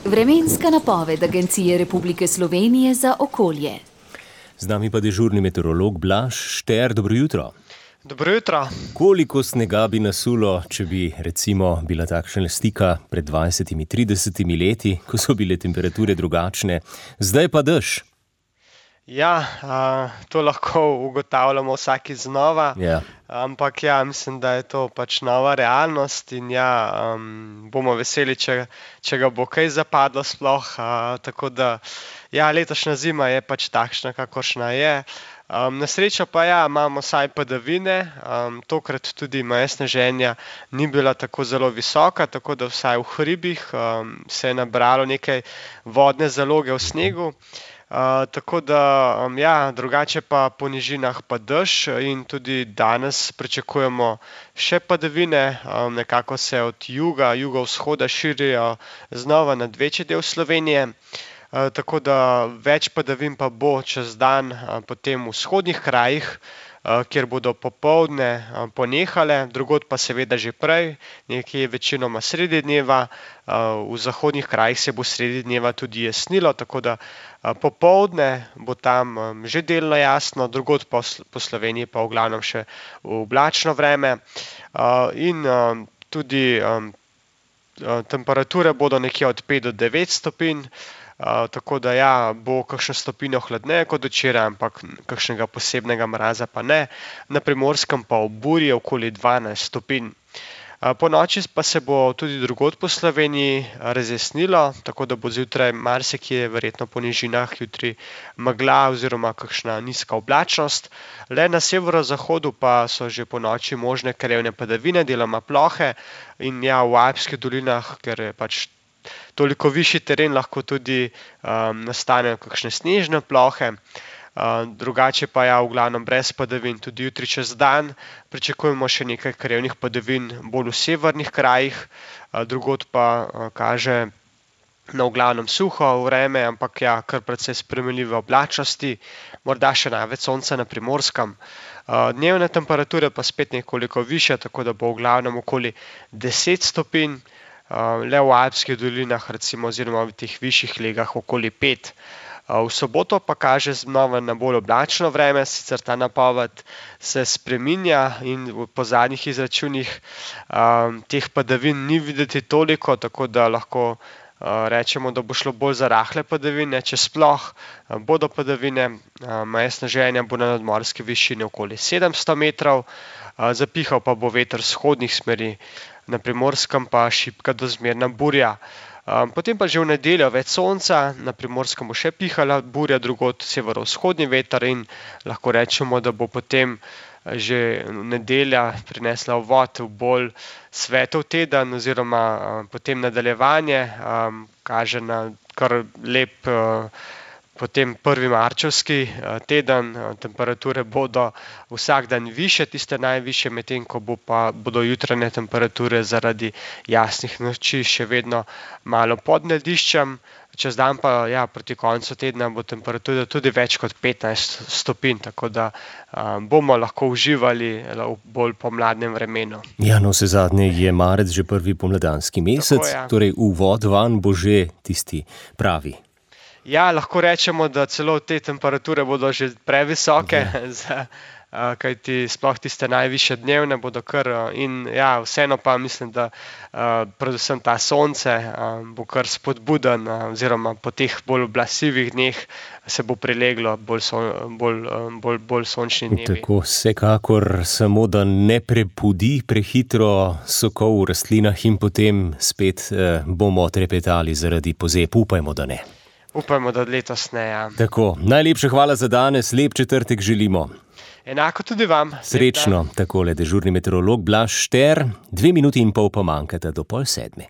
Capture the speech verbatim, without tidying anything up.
Vremenska napoved Agencije Republike Slovenije za okolje. Z nami pa dežurni meteorolog Blaž Šter. Dobro jutro. Dobro jutro. Koliko snega bi nasulo, če bi recimo bila takšna slika pred dvajsetimi, tridesetimi leti, ko so bile temperature drugačne, zdaj pa dež? Ja, a, to lahko ugotavljamo vsaki znova, Ja. ampak ja, mislim, da je to pač nova realnost in ja, um, bomo veseli, če, če ga bo kaj zapadlo sploh, a, tako da ja, letošnja zima je pač takšna, kakršna je. Um, na srečo pa ja, imamo vsaj padavine, um, tokrat tudi meja sneženja ni bila tako zelo visoka, tako da vsaj v hribih um, se je nabralo nekaj vodne zaloge v snegu. Uh, tako da, um, ja, drugače pa po nižinah pa dež in tudi danes pričakujemo še padavine, um, nekako se od juga, jugovzhoda širijo znova nad večji del Slovenije. Uh, tako da več padavin pa bo čez dan uh, potem v vzhodnih krajih, uh, kjer bodo popoldne uh, ponehale, drugod pa seveda že prej, nekje večinoma sredi dneva, uh, v zahodnih krajih se bo sredi dneva tudi jasnilo, tako da uh, popoldne bo tam um, že delno jasno, drugod po, po Sloveniji pa v glavnem še oblačno vreme uh, in um, tudi um, uh, temperature bodo nekje od pet do devet stopinj. Uh, tako da ja, bo kakšno stopinjo hladneje kot včeraj, ampak kakšnega posebnega mraza pa ne. Na Primorskem pa ob burji okoli dvanajst stopinj. Uh, po noči pa se bo tudi drugod po Sloveniji razjasnilo, tako da bo zjutraj marsikje, verjetno po nižinah, jutri megla oziroma kakšna nizka oblačnost. Le na severozahodu pa so že po noči možne krajevne padavine, deloma plohe in ja, v Alpskih dolinah, ker je pač toliko višji teren, lahko tudi um, nastanejo kakšne snežne plohe. Uh, drugače pa ja, v glavnem brez padavin tudi jutri čez dan. Pričakujemo še nekaj krajevnih padavin bolj v severnih krajih, uh, drugod pa uh, kaže na v glavnem suho vreme, ampak ja, kar precej spremenljive oblačnosti, morda še največ sonca na Primorskem. Uh, dnevne temperature pa spet nekoliko više, tako da bo v glavnem okoli deset stopinj. Uh, le v Alpskih dolinah, recimo, oziroma v teh višjih legah okoli pet. Uh, v soboto pa kaže znova na bolj oblačno vreme, sicer ta napoved se spreminja in po zadnjih izračunih um, teh padavin ni videti toliko, tako da lahko uh, rečemo, da bo šlo bolj za rahle padavine, če sploh uh, bodo padavine. Uh, meja sneženja bo na nadmorski višini okoli sedemsto metrov, uh, zapihal pa bo veter vzhodnih smeri. Na Primorskem pa šibka do zmerna burja. Um, potem pa že v nedeljo več sonca, na Primorskem bo še pihala burja, drugod severovzhodni veter in lahko rečemo, da bo potem že nedelja prinesla uvod v bolj svetov teden oziroma um, potem nadaljevanje, um, kaže na kar lep uh, potem prvi marčevski teden, temperature bodo vsak dan više, tiste najvišje, medtem ko bo pa, bodo jutranje temperature zaradi jasnih noči še vedno malo pod lediščem. Čez dan pa ja, proti koncu tedna bo temperatura tudi več kot petnajst stopinj, tako da um, bomo lahko uživali v bolj pomladnem vremenu. Ja, no, vsezadnje je marec že prvi pomladanski mesec, Tako, ja. Torej uvod van bo že tisti pravi. Ja, lahko rečemo, da celo te temperature bodo že previsoke, za, uh, kajti sploh tiste najvišje dnevne bodo kar uh, in ja, vseeno pa mislim, da uh, predvsem ta sonce uh, bo kar spodbuden uh, oziroma po teh bolj oblasivih dneh se bo prileglo bolj, so, bolj, uh, bolj, bolj sončni dnevi. Tako, vsekakor samo, da ne prepudi prehitro sokov v rastlinah in potem spet uh, bomo trepetali zaradi pozeb, upajmo, da ne. Upajmo, da letos ne, ja. Tako, najlepša hvala za danes, lep četrtek želimo. Enako tudi vam. Srečno, takole dežurni meteorolog Blaž Šter, dve minuti in pol pa manjkata do pol sedme.